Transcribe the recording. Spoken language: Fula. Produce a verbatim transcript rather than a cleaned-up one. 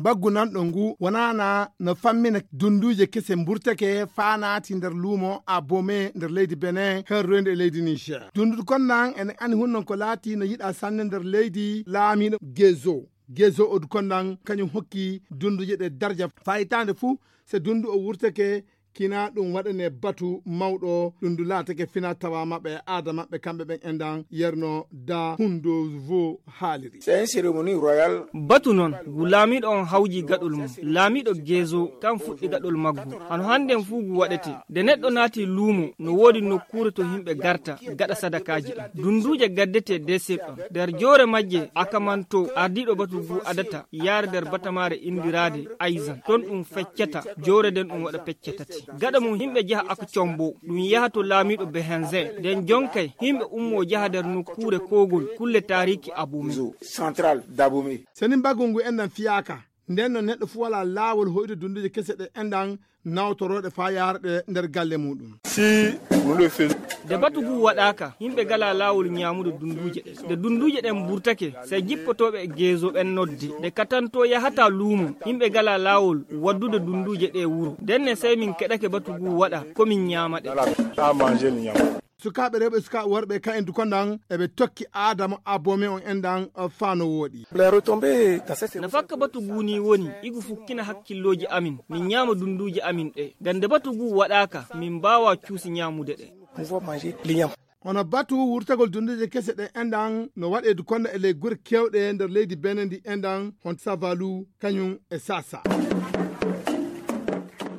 Baggu nanɗo ngu wonana no fammina dunduuje kese mburtake faa naati nder luumo Abome nder leydi Benin, herroyde e leydi Niger. Dundudu konnan ene ani hunnon ko laati no yiɗa sanne nder leydi laamiiɗo Gezo. Gezo odu konnan kañum hokki dunduuje ɗe darja faa hitaande fuu, se dundu o wurtake kina ɗum waɗane batu mawɗo, ɗum ndu laatake fina tawa maɓɓe e aada maɓɓe kamɓe ɓen endan yerno da hundovo haaliri. C'est une cérémonie royale. Batu noon, ngu laamiiɗo on hawji gaɗol mum. Laamiiɗo Gezo kan fuɗɗi gaɗol maggu. Hano hannden fuu ngu waɗete. Nde neɗɗo naati luumo, no woodi nokkuure to yimɓe garta, gaɗa sadakaaji ɗin. Dunduuje gaddete desir ɗon. Nder joore majje, Akamanto, ardiiɗo batu ngu adata, yaara nder batamaare indiraade Aizan. Ton ɗum feccata, joore nden ɗum waɗa pecce tati. Gaɗa mum yimɓe jaha Akcombo, ɗum yaha to laamiiɗo Behenzen. Nden jonkay, yimɓe ummo jaha nder nokkuure kogol, kulle taariki Abome. Central d'Abome. Seni mbaggu ngu enɗan fiyaaka. Nden no neɗɗo fuu walaa laawol hoyde dunduuje kese ɗe enɗan nawtorooɗe faa yaara ɗe nder galle muuɗum. Si vous le faites. Nde batu ngu waɗaaka, yimɓe ngalaa laawol ñaamude dunduuje ɗe. Nde dunduuje ɗen mburtake, sey jippotooɓe e Gezo ɓen nodde. Nde katanto yahata luumo, yimɓe ngalaa laawol waddude dunduuje ɗe wuro. Ndenne sey min keɗake batu ngu waɗa, ko min ñaama ɗe. Voilà, à manger, le ñaama. Sukaaɓe rewɓe e sukaaɓe worɓe ka en dukondan, eɓe tokki aadama Abome on endan, uh, faa no wooɗi. Les retombées dans cette... No fakka batu ngu ni woni, igu fukkina hakkillooji amin, min ñaama dunduuje amin ɗe. Ngam nde batu ngu waɗaaka, min mbaawa cuusi ñaamude ɗe. Pouvoir manger l'igname. Hono batu wurtagol dunduuje kese ɗe endan no waɗe dukonda e ley gure kewɗe nder leydi Benin ndi endan, hon Savalu, kañum e Sasa.